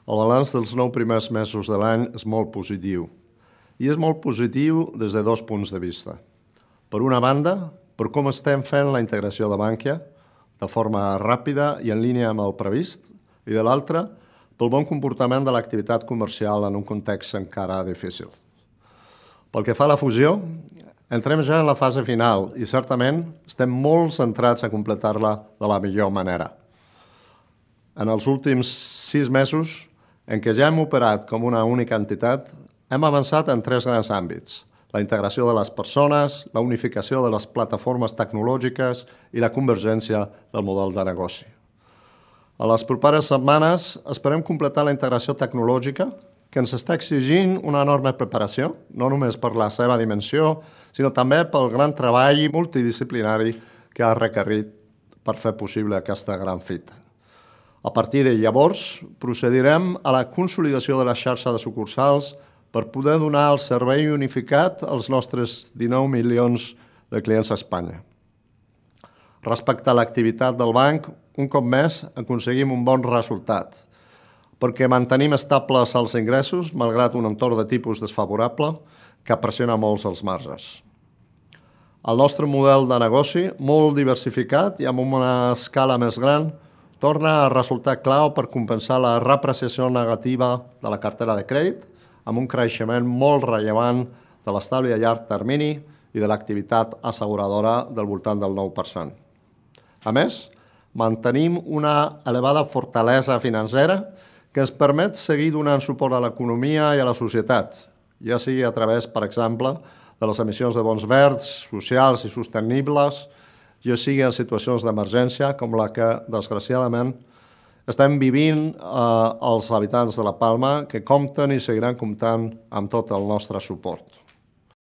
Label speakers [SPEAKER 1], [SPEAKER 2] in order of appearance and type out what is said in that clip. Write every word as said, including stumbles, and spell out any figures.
[SPEAKER 1] El balanç dels nou primers mesos de l'any és molt positiu. I és molt positiu des de dos punts de vista. Per una banda, per com estem fent la integració de Bankia de forma ràpida i en línia amb el previst, i de l'altra, pel bon comportament de l'activitat comercial en un context encara difícil. Pel que fa a la fusió, entrem ja en la fase final i certament estem molt centrats a completar-la de la millor manera. En els últims sis mesos, en què ja hem operat com una única entitat, hem avançat en tres grans àmbits: la integració de les persones, la unificació de les plataformes tecnològiques i la convergència del model de negoci. A les properes setmanes esperem completar la integració tecnològica, que ens està exigint una enorme preparació, no només per la seva dimensió, sinó també pel gran treball multidisciplinari que ha requerit per fer possible aquesta gran fita. A partir de llavors, procedirem a la consolidació de la xarxa de sucursals per poder donar el servei unificat als nostres dinou milions de clients a Espanya. Respecte a l'activitat del banc, un cop més aconseguim un bon resultat, perquè mantenim estables els ingressos, malgrat un entorn de tipus desfavorable que pressiona molts els marges. El nostre model de negoci, molt diversificat i amb una escala més gran, torna a resultar clau per compensar la repreciació negativa de la cartera de crèdit, amb un creixement molt rellevant de l'estalvi a llarg termini i de l'activitat asseguradora del voltant del nou per cent. A més, mantenim una elevada fortalesa financera que ens permet seguir donant suport a l'economia i a la societat, ja sigui a través, per exemple, de les emissions de bons verds, socials i sostenibles, ja sigui en situacions d'emergència com la que, desgraciadament, estem vivint eh, els habitants de la Palma, que compten i seguiran comptant amb tot el nostre suport.